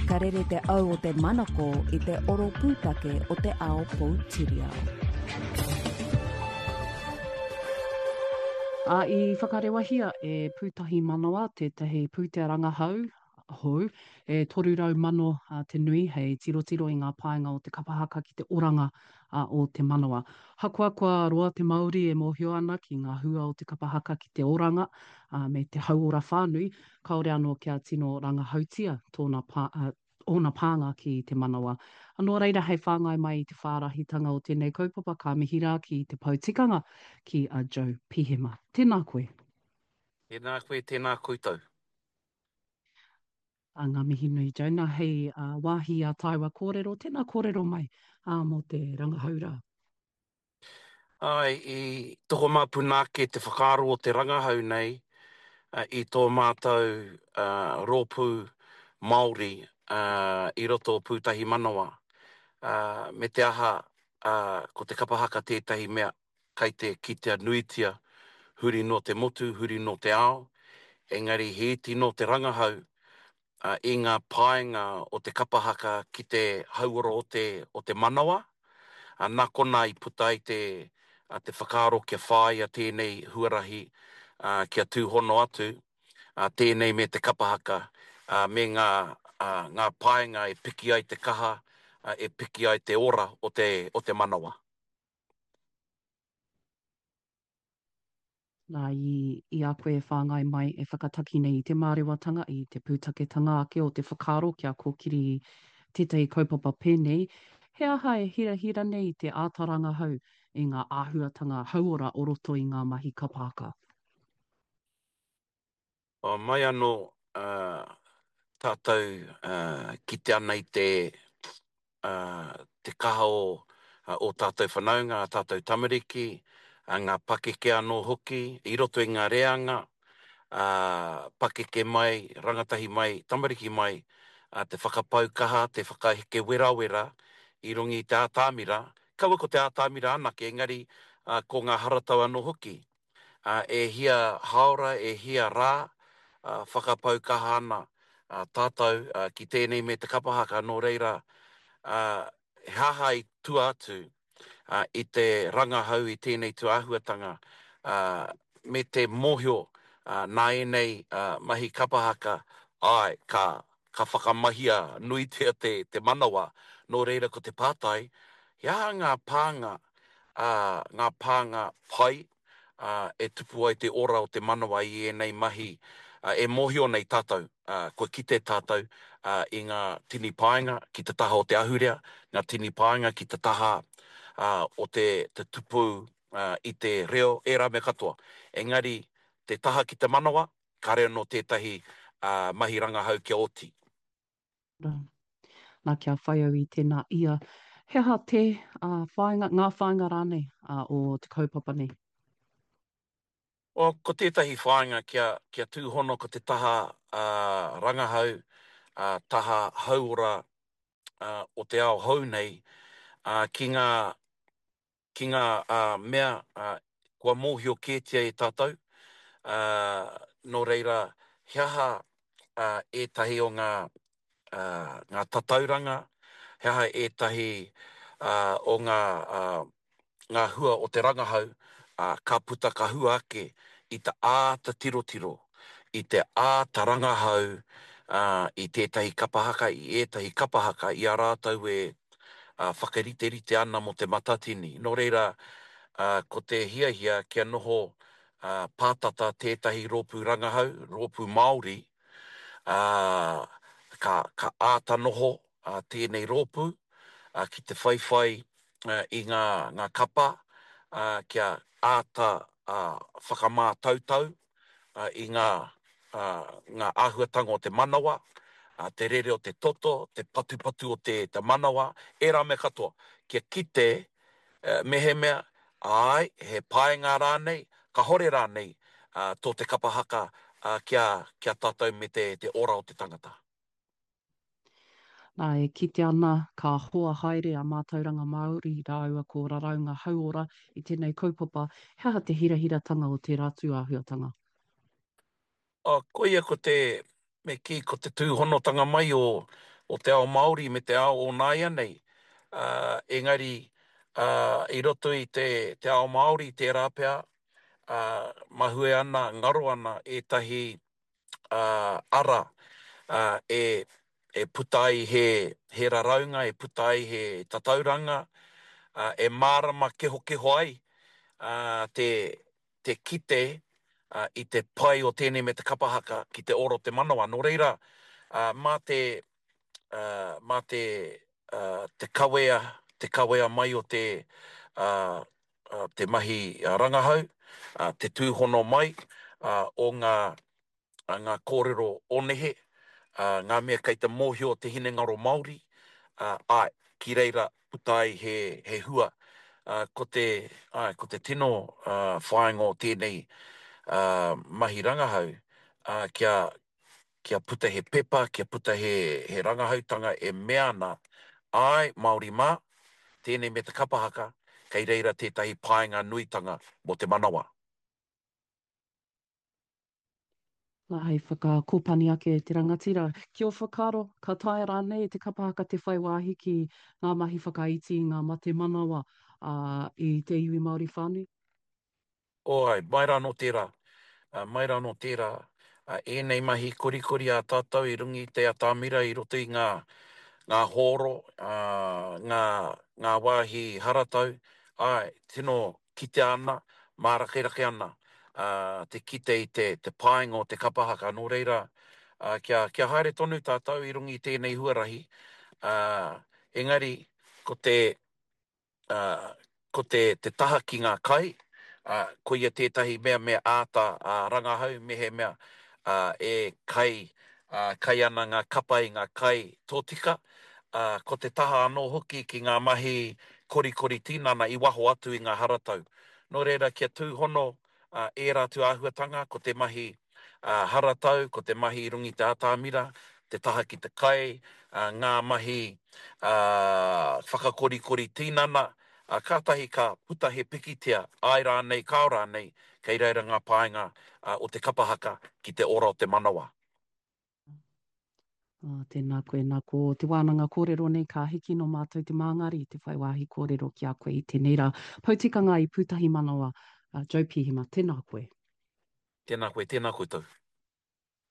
Ka rere te au o te manako i te oro pūtake o te ao poutiriao. Ā, i whakarewahia e Pūtahi Manawa tētahi pūtea rangahau hou e 300 mano te nui hei tirotiro i ngā painga o te kapa haka ki te oranga o te manawa. Hakoa kua roa te Māori e mōhio ana ki ngā hua o te kapa haka ki te oranga me te hauora whānui, kāore anō kia tino rangahautia tōna pā, ōna pānga ki te manawa. Nō reira, hei whāngai mai i te whārahitanga o tēnei kaupapa, ka mihi rā ki te pou tikanga, ki a Joe Pihema. Tēnā koe. Tēnā koe, tēnā koutou. A ngā mihi nui, Joe. Nā, hei wāhi ā tāua kōrero, tēnā kōrero mai mō te rangahau rā. Āe, i tokomāpuna ake te whakaaro o te rangahau nei i tō mātou rōpū Māori i roto o Pūtahi Manawa. Me te aha, ko te kapa haka tētahi mea kai te kitea nuitia huri nō te motu, huri nō te ao, engari he iti nō te rangahau i ngā paenga o te kapa haka ki te hauora o te, o te manawa, nā konā i puta ai te, te whakaaro kia whāia tēnei huarahi kia tūhono atu tēnei me te kapa haka me ngā, ngā paenga e piki ai te kaha, e piki ai te ora o te, o te manawa. Nā, i, i a koe e whāngai mai, e whakataki nei i te mārewatanga, i te pūtaketanga ake o te whakaaro kia kōkiri tētahi kaupapa pēnei, he aha e hirahira nei te āta rangahau i ngā āhuatanga hauora o roto i ngā mahi kapa haka? Mai anō tātou kite ana i te te kaha o ō tātou whanaunga, ā tātou tamariki, ngā pakeke anō hoki i roto i ngā reanga, pakeke mai, rangatahi mai, tamariki mai, te whakapau kaha, te whakaheke werawera i runga i te ātamira, kaua ko te ātamira anake, engari ko ngā haratau anō hoki. ā, e hia hāora, e hia rā, ā, whakapau kaha ana, ā, tātou, ā, ki tēnei me te kapa haka, nō reira, ā, he aha i tua atu, ā, i te rangahau i tēnei tūāhuatanga, ā, me te mōhio, ā, nā ēnei, ā, mahi kapa haka, āe, ka, ka whakamahia nuitia te, te manawa, nō reira ko te pātai, he aha ngā pānga ā, ngā pānga pai, ā, e tupu ai te ora o te manawa i ēnei mahi, ā, e mōhio nei tātou, ā, kua kite tātou, ā, i ngā tini painga ki te taha o te ahurea, ngā tini painga ki te taha, ā, o te, te tupu, ā, i te reo, ērā mea katoa. Engari, te taha ki te manawa, kāre anō tētahi, ā, mahi rangahau kia oti. Nā, kia whai au i tēnā ia. He aha te whāinga, ngā whāinga rānei o te kaupapa nei? Well, ko tētahi whāinga kia, kia tūhono ko te taha rangahau, taha hauora o te ao hou nei ki ngā ki ngā mea kua mōhio kētia e tātou, nō reira, he aha ētahi o ngā, ngā tatauranga, he aha ētahi o ngā, ngā hua o te rangahau ka puta ka hua ake i te āta tirotiro, i te āta rangahau i tētahi kapa haka, i ētahi kapa haka i a rātou e whakariterite ana mō te Matatini. Nō reira, ko te hiahia kia noho pātata tētahi rōpū rangahau, rōpū Māori, ka, ka āta noho tēnei rōpū ki te whaiwhai i ngā, ngā kapa kia āta whakamātautau i ngā, ngā āhuatanga o te manawa, te rere o te toto, te patupatu o te, te manawa, ērā mea katoa, kia kite mehemea, āe, he paenga rānei, kahore rānei tō te kapa haka kia, kia tātou me te, te ora o te tangata. Nā, e kite ana ka hoa haere a Mātauranga Māori rāua ko Raraunga Hauora i tēnei kaupapa, he aha te hirahiratanga o tērā tūāhuatanga? Oh, koia ko te, me kī, ko te tūhonotanga mai o o te ao Māori me te ao o nāianei, ā, engari, ā, i roto i te, te ao Māori tērā pea, ā, mahue ana, ngaro ana ētahi, ā, ara, ā, e, e puta ai he, he raraunga, e puta ai he tatauranga, ā, e mārama kehokeho ai, ā, te, te kite i te pai o tēnei me te kapa haka ki te ora o te manawa. Nō reira, mā te, mā te, te kawea, te kawea mai o te, te mahi rangahau, te tūhono mai o ngā ngā kōrero o nehe, ngā mea kei te mōhio te hinengaro Māori, āe, ki reira puta ai he, he hua. Ko te, āe, ko te tino whāinga o tēnei mahi rangahau, kia, kia puta he pepa, kia puta he, he rangahautanga e mea ana, āe, Māori mā, tēnei me te kapa haka, kei reira tētahi painga nuitanga mō te manawa. Nā, hei whakakōpani ake te rangatira. Ki ō whakaaro, ka taea rānei e te kapa haka te whai wāhi ki ngā mahi whakaiti i ngā mate manawa i te iwi Māori whānui? Oh, āe, mai rā nō tērā, mai rā nō tērā, ēnei mahi korikori a tātou i runga i te atamira i roto i ngā, ngā hōro, ngā, ngā wāhi haratau, āe, tino kitea ana, mārakerake ana te kite i te te painga o te kapa haka. Nō reira, kia, kia haere tonu tātou i runga i tēnei huarahi, engari ko te, ko te, te taha ki ngā kai, koia tētahi mea me āta rangahau mehemea e kai, kai ana ngā kapa i ngā kai tōtika, ā, ko te taha anō hoki ki ngā mahi korikori tinana i waho atu i ngā haratau. Nō reira, kia tūhono ērā atu āhuatanga, ko te mahi haratau, ko te mahi i runga i te atamira, te taha ki te kai, ngā mahi whakakorikori tinana, ā, kātahi ka puta he pikitia, āe rānei, kāo rānei, kei reira ngā painga o te kapa haka ki te ora o te manawa. Oh, tēnā koe, nā ko te wānanga kōrero nei ka hiki nō mātou te māngari te whai wāhi kōrero ki a koe i tēnei rā. Poutikanga i Pūtahi Manawa, uh, Joe Pihema, tēnā koe. Tēnā koe, tēnā koutou.